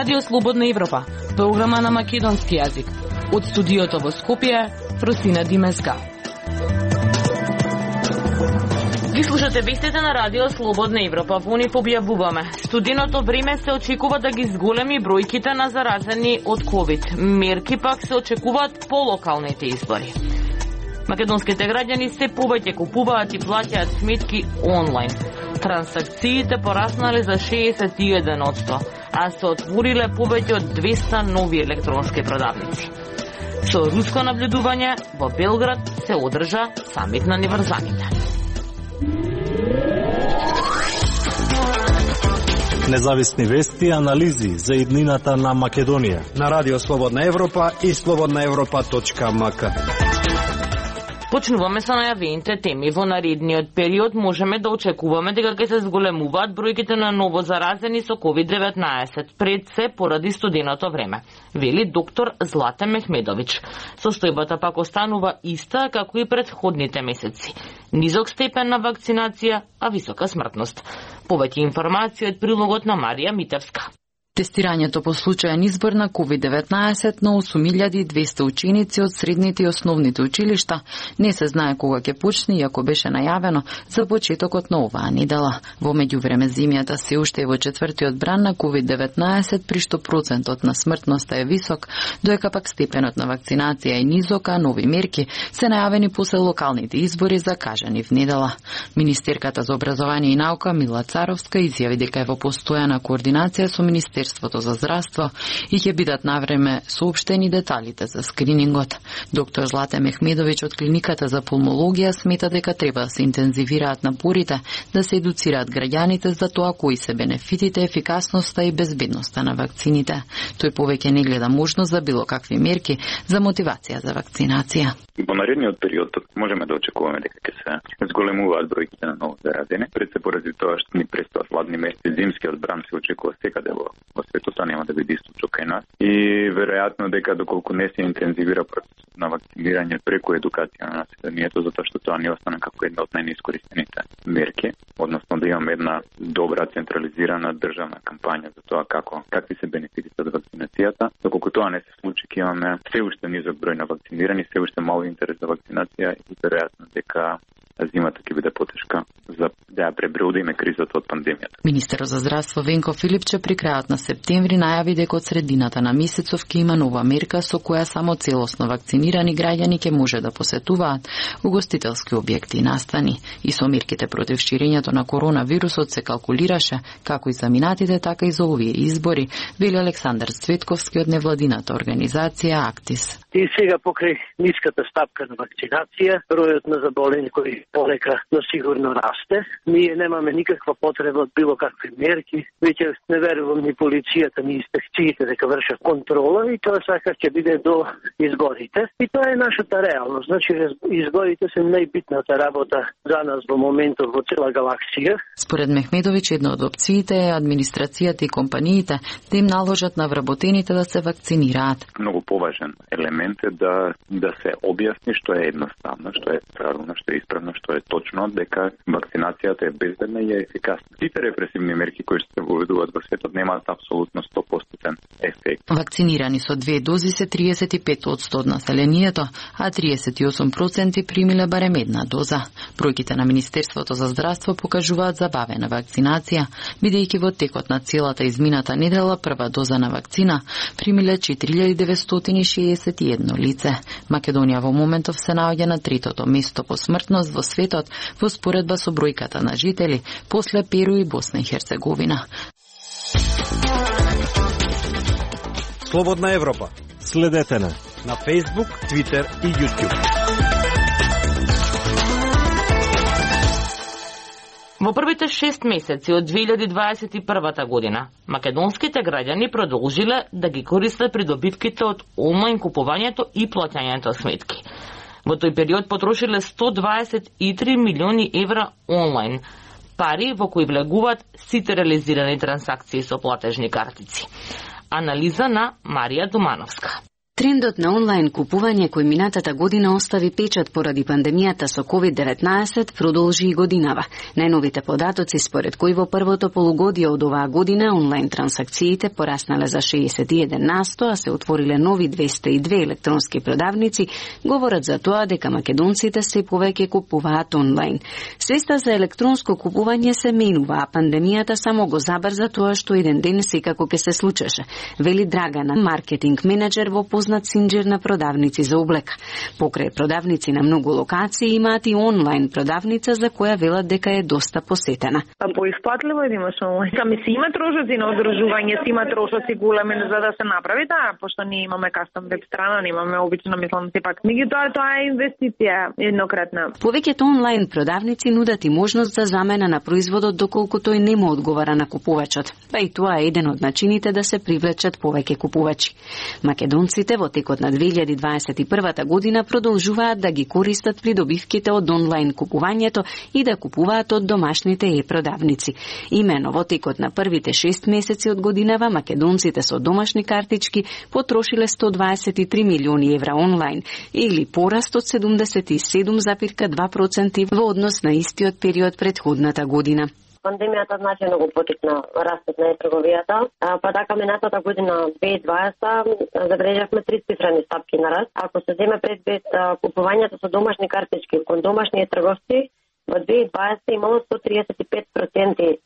Радио Слободна Европа, програма на македонски јазик. Од студиото во Скопје, Фросина Димеска. Ги слушате вестите на Радио Слободна Европа. Во нив објавуваме. Студеното време се очекува да ги зголеми бројките на заразени од COVID. Мерки пак се очекуваат по локалните избори. Македонските граѓани се повеќе купуваат и плаќаат сметки онлайн. Трансакциите пораснале за 61%, а се отвориле повеќе од 200 нови електронски продавници. Со руско наблюдување во Белград се одржа самит на неврзаните. Независни вести и анализи за иднината на Македонија на Радио Слободна Европа и slobodnaevropa.mk. Почнуваме со најавените теми. Во наредниот период можеме да очекуваме дека ќе се зголемуваат бројките на ново заразени со COVID-19, пред се поради студеното време, вели доктор Злате Мехмедович. Состојбата пак останува иста како и претходните месеци. Низок степен на вакцинација, а висока смртност. Повеќе информации од прилогот на Марија Митевска. Тестирањето по случајен избор на COVID-19 на 8200 ученици од средните и основните училишта не се знае кога ќе почне, иако беше најавено за почетокот на оваа недела. Во меѓувреме земјата се уште е во четвртиот бран на COVID-19, при што процентот на смртноста е висок, доека пак степенот на вакцинација е низок, а нови мерки се најавени после локалните избори закажани в недела. Министерката за образование и наука Мила Царовска изјави дека е во постојана координација со Министерството за здравство и ќе бидат навреме соопштени деталите за скринингот. Доктор Злате Мехмедович од клиниката за пулмологија смета дека треба да се интензивираат напорите да се едуцираат граѓаните за тоа кои се бенефитите, ефикасноста и безбедноста на вакцините. Тој повеќе не гледа можност за било какви мерки за мотивација за вакцинација. Во наредниот период можеме да очекуваме дека ќе се зголемуваат бројките на ново заразени. Пред се поради тоа што ни престојат хладни месеци, зимскиот бран се очекува секаде во светот, нема да биде исто кај нас. И веројатно дека доколку не се интензивира процесот на вакцинирање преку едукација на населението, затоа што тоа не остана како една од најнеискористените мерки, односно да имаме една добра централизирана државна кампања за тоа какви се бенефитите од вакцинацијата. Доколку тоа не се случи, ќе имаме се уште низок број на вакцинирани, се уште мал интерес за вакцинација и веројатно дека зимата ќе биде потешка за да ја пребродиме кризата од пандемијата. Министерот за здравство Венко Филипче при крајот на септември најави дека од средината на месецов ќе има нова мерка со која само целосно вакцинирани граѓани ќе може да посетуваат угостителски објекти и настани. И со мерките против ширењето на коронавирусот се калкулираше како и за минатите, така и за овие избори, вели Александар Цветковски од невладината организација Актис. И сега покрај ниската стапка на вакцинација, бројот на заболени кои полека, но сигурно расте. Ние немаме никаква потреба од било какви мерки. Веќе не верувам ни полицијата, ни инспекциите дека вршат контрола и тоа сакаш ќе биде до изборите. И тоа е нашата реалност. Значи, изборите се најбитната работа за нас во моментот во цела галаксија. Според Мехмедович, една од опциите е администрацијата и компаниите да им наложат на вработените да се вакцинираат. Многу поважен елемент е да се објасни што е едноставно, што е правилно, што е исправно, што е точно, дека вакцинацијата е безбедна и е ефикасна. Сите репресивни мерки кои се воведуваат во светот немаат апсолутно 100% ефект. Вакцинирани со 2 дози се 35% од населението, а 38% примиле барем една доза. Бројките на Министерството за здравство покажуваат забавена вакцинација, бидејќи во текот на целата измината недела прва доза на вакцина примиле 4961 лице. Македонија во моментов се наоѓа на третото место по смртност во светот во споредба со бројката на жители после Перу и Босна и Херцеговина. Слободна Европа. Следете на Facebook, Twitter и YouTube. Во првите 6 месеци од 2021 година, македонските граѓани продолжиле да ги користат придобивките од онлайн купувањето и плаќањето сметки. Во тој период потрошиле 123 милиони евра онлайн, пари во кои влегуваат сите реализирани трансакции со платежни картици. Анализа на Марија Домановска. Трендот на онлайн купување кој минатата година остави печат поради пандемијата со COVID-19 продолжи и годинава. Најновите податоци според кои во првото полугодие од оваа година онлайн трансакциите пораснале за 61%, а се отвориле нови 202 електронски продавници, говорат за тоа дека македонците се повеќе купуваат онлайн. Свеста за електронско купување се менува, а пандемијата само го забрза тоа што еден ден секако ќе се случеше, вели Драгана, маркетинг менеджер во познат синџир на продавници за облека. Покрај продавници на многу локации имаат и онлайн продавница за која велат дека е доста посетена. Поисплатливо е да имаш онлайн. Се има трошоци на одржување, се има трошоци големи за да се направи таа, пошто ние имаме кастом веб страна, немаме обично, мислам сепак. Меѓутоа тоа е инвестиција еднократна. Повеќето онлайн продавници нудат и можност за замена на производот доколку тој не му одговара на купувачот. Па и тоа е еден од начините да се привлечат повеќе купувачи. Македонците во текот на 2021 година продолжуваат да ги користат придобивките од онлайн купувањето и да купуваат од домашните е-продавници. Имено во текот на првите 6 месеци од годинава македонците со домашни картички потрошиле 123 милиони евра онлайн или пораст од 77,2% во однос на истиот период претходната година. Пандемијата значајно го поттикна растот на трговијата, па така минатата година 2020 забележавме 3-цифрени стапки на раст. Ако се земе предвид купувањето со домашни картички кон домашни трговци, во 2020 имало 135%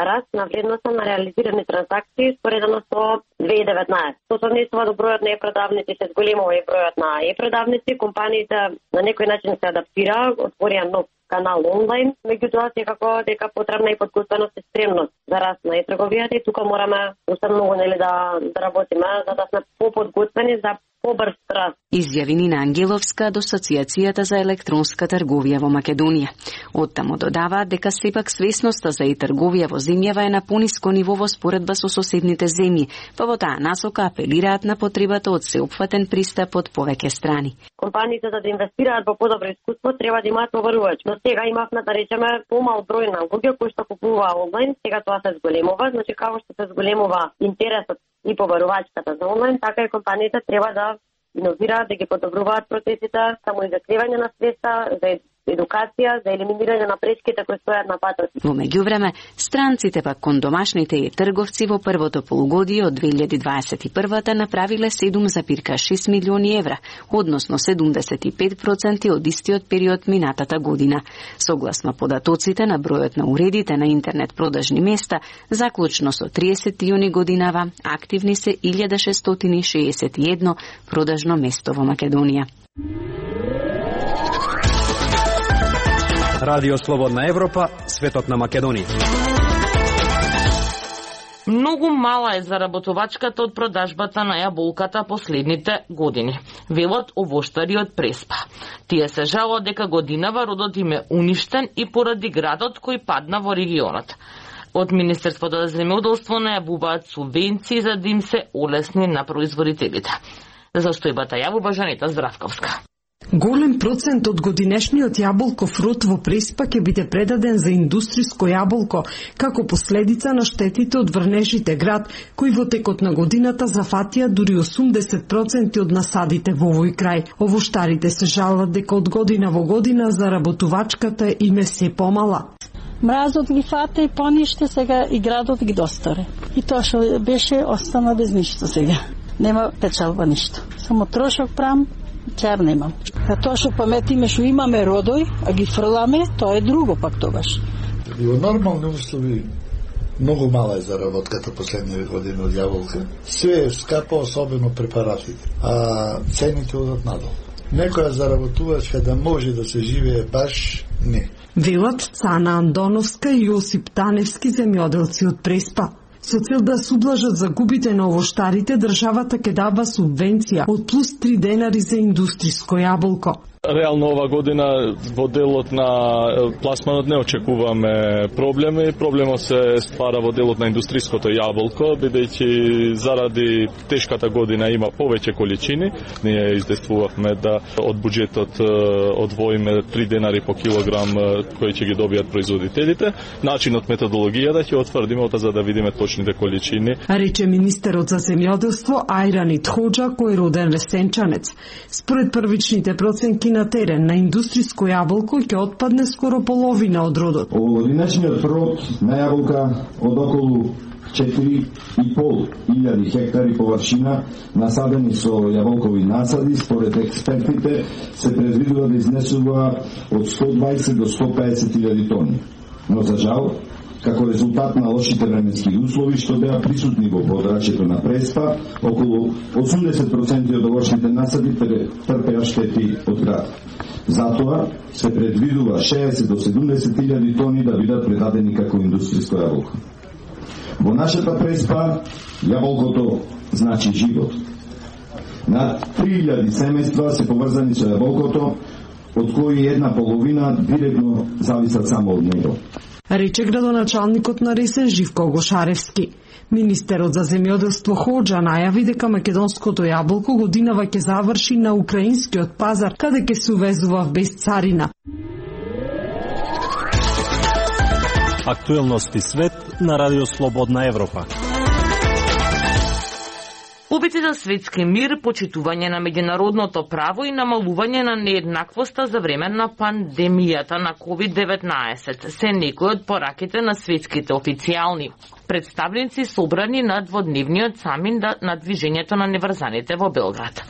раст на вредноста на реализирани транзакции споредено со 2019. Со совнесува до бројот на е-продавници се зголемува и бројот на е-продавници, компаниите на некој начин се адаптираа, отворија нов канал онлайн, меѓутоа секако дека потребна и подготвеност и спремност за раст на трговијата и тука мораме уште многу да работиме за да сме поподготвени за побрз раст. Изјави Нина Ангеловска од Асоциацијата за електронска трговија во Македонија. Оттаму додава дека сепак свесноста за трговија во земјава е на пониско ниво во споредба со соседните земји, па во таа насока апелираат на потребата од сеопфатен пристап од повеќе страни. Компаниите за да инвестираат во подобро искуство треба да имаат побарувач. Но сега имавме да речеме помал број на луѓе кои што купуваа онлайн, сега тоа се зголемува, значи како што се зголемува интересот и побарувачката за онлайн, така и компаниите треба да иновираат, да ги подобруваат процесите, само изакривање на свеста, за едукација, за елиминирање на пречките кои стојат на патот. Во меѓувреме, странците пак кон домашните и трговци во првото полугодие од 2021 направиле 7,6 милиони евра, односно 75% од истиот период минатата година. Согласно податоците на бројот на уредите на интернет продажни места, заклучно со 30 јуни годинава, активни се 1661 продажно место во Македонија. Радио Слободна Европа, светот на Македонија. Многу мала е заработувачката од продажбата на јаболката последните години, велат овоштари од Преспа. Тие се жалат дека годинава родот им е уништен и поради градот кој падна во регионот. Од Министерството за земјоделство најавуваат субвенции за да им се олесни на производителите. За состојбата јавува Жанета Здравковска. Голем процент од годинешниот јаболков род во Преспа ќе биде предаден за индустријско јаболко, како последица на штетите од врнежите град, кои во текот на годината зафатија дури 80% од насадите во овој крај. Овоштарите се жалват дека од година во година заработувачката им е се помала. Мразот ги фата и пониште, сега и градот ги достаре. И тоа што беше остана без ништо сега. Нема печалба ништо. Само трошок прам, чар немам. А тоа што паметиме што имаме родој, а ги фрламе, тоа е друго пак тогаш. И во нормални услови многу мала е заработката последните години од јаболка. Све е скапо, особено препаратите, а цените одат надолу. Некоја заработувачка да може да се живее баш не. Велат Цана Андоновска и Јосип Таневски земјоделци од Преспа. Со цел да се ублажат загубите на овоштарите, државата ќе дава субвенција од плюс 3 денари за индустријско јаболко. Реално ова година во делот на пласманот не очекуваме проблеми. Проблемот се ствара во делот на индустриското јаболко, бидејќи заради тешката година има повеќе количини. Ние издействувавме да од буџетот одвоиме 3 денари по килограм кои ќе ги добијат производителите. Начинот, методологијата ќе утврдиме за да видиме точните количини. Рече министерот за земјоделство Ајрани Тходжа, кој е роден Лесенчанец. Според првичните проценки на терен на индустриско јаболко ќе отпадне скоро половина од родот. Овогодинешниот род на јаболка од околу 4.500 хектари површина насадени со јаболкови насади, според експертите се предвидува да изнесува од 120 до 150.000 тони. Но за жал, како резултат на лошите временски услови што беа присутни во подрачјето на Преспа, околу 80% од овошните насади трпеа штети од град. Затоа се предвидува 60 до 70.000 тони да бидат предадени како индустријско јаболко. Во нашата Преспа јаболкото значи живот. Над 3000 семејства се поврзани со јаболкото, од кои една половина директно зависат само од него. Рече градоначалникот на Ресен Живко Гошаревски. Министерот за земјоделство Ходжа најави дека македонското јаболко годинава ќе заврши на украинскиот пазар, каде ќе се увезува без царина. Актуелности свет на Радио Слободна Европа. Обици за светски мир, почитување на меѓународното право и намалување на нееднаквоста за време на пандемијата на COVID-19 се некои од пораките на светските официјални представници собрани на дводневниот самит на движењето на неврзаните во Белград.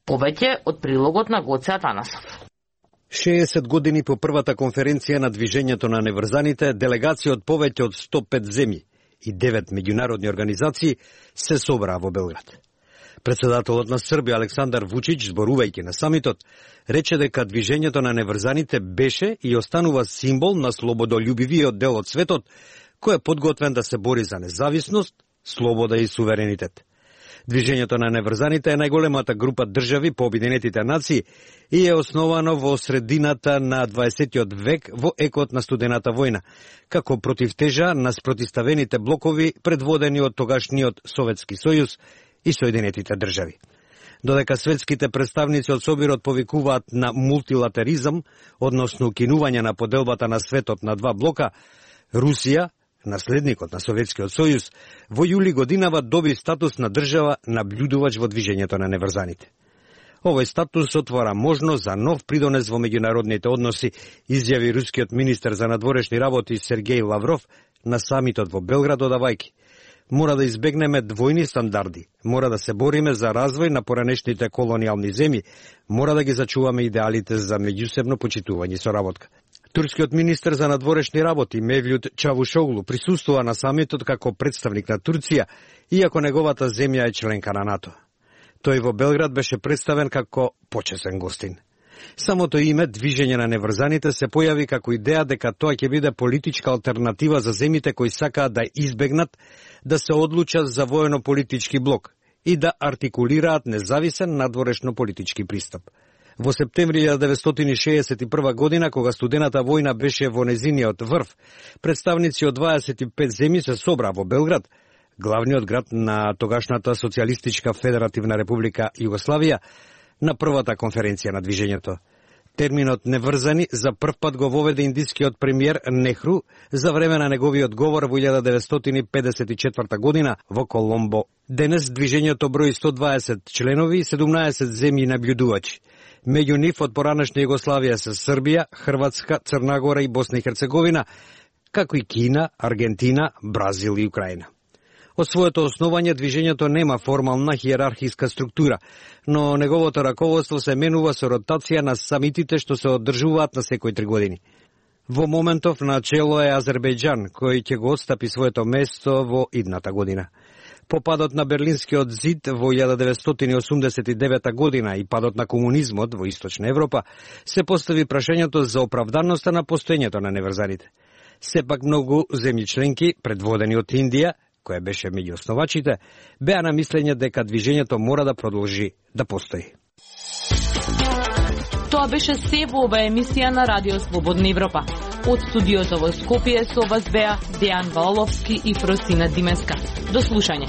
Повеќе од прилогот на Гоце Атанасов. 60 години по првата конференција на движењето на неврзаните, делегација од повеќе од 105 земји и 9 меѓународни организации се собраа во Белград. Председателот на Србија Александар Вучич, зборувајќи на самитот, рече дека движењето на неврзаните беше и останува символ на слободолюбивиот дел од светот, кој е подготвен да се бори за независност, слобода и суверенитет. Движењето на неврзаните е најголемата група држави по Обединетите нации и е основано во средината на 20. век во екот на студената војна, како противтежа на спротиставените блокови предводени од тогашниот Советски сојуз и Соединетите држави. Додека светските представници од Собирот повикуваат на мултилатеризам, односно укинување на поделбата на светот на два блока, Русија, наследникот на Советскиот сојуз, во јули годинава доби статус на држава наблюдувач во движењето на неврзаните. Овој статус отвора можност за нов придонес во меѓународните односи, изјави рускиот министер за надворешни работи Сергеј Лавров на самитот во Белград, додавајќи: мора да избегнеме двојни стандарди, мора да се бориме за развој на поранешните колонијални земји, мора да ги зачуваме идеалите за меѓусебно почитување и соработка. Турскиот министер за надворешни работи Мевлют Чавушоглу присуствува на самитот како представник на Турција, иако неговата земја е членка на НАТО. Тој во Белград беше представен како почесен гостин. Самото име движење на неврзаните се појави како идеја дека тоа ќе биде политичка алтернатива за земјите кои сакаат да избегнат да се одлучат за воено-политички блок и да артикулираат независен надворешно-политички пристап. Во септември 1961 година, кога студената војна беше во незиниот врв, представници од 25 земји се собраа во Белград, главниот град на тогашната Социјалистичка Федеративна република Југославија, на првата конференција на движењето. Терминот неврзани за прв пат го воведе индискиот премиер Нехру за време на неговиот говор во 1954 година во Коломбо. Денес движењето брои 120 членови и 17 земји наблюдувачи. Меѓу нив од поранешна Југославија се Србија, Хрватска, Црна Гора и Босна и Херцеговина, како и Кина, Аргентина, Бразил и Украина. Од своето основање движењето нема формална хиерархиска структура, но неговото раководство се менува со ротација на самитите што се одржуваат на секој 3 години. Во моментов на чело е Азербејџан, кој ќе го отстапи своето место во идната година. По падот на Берлинскиот зид во 1989 година и падот на комунизмот во Источна Европа се постави прашањето за оправданоста на постоењето на неврзаните. Сепак многу земји членки, предводени од Индија, која беше меѓу основачите, беа на мислење дека движењето мора да продолжи да постои. Тоа беше се во оваа емисија на Радио Слободна Европа. Од студиото во Скопје со вас беа Дејан Валовски и Фросина Димеска. До слушање.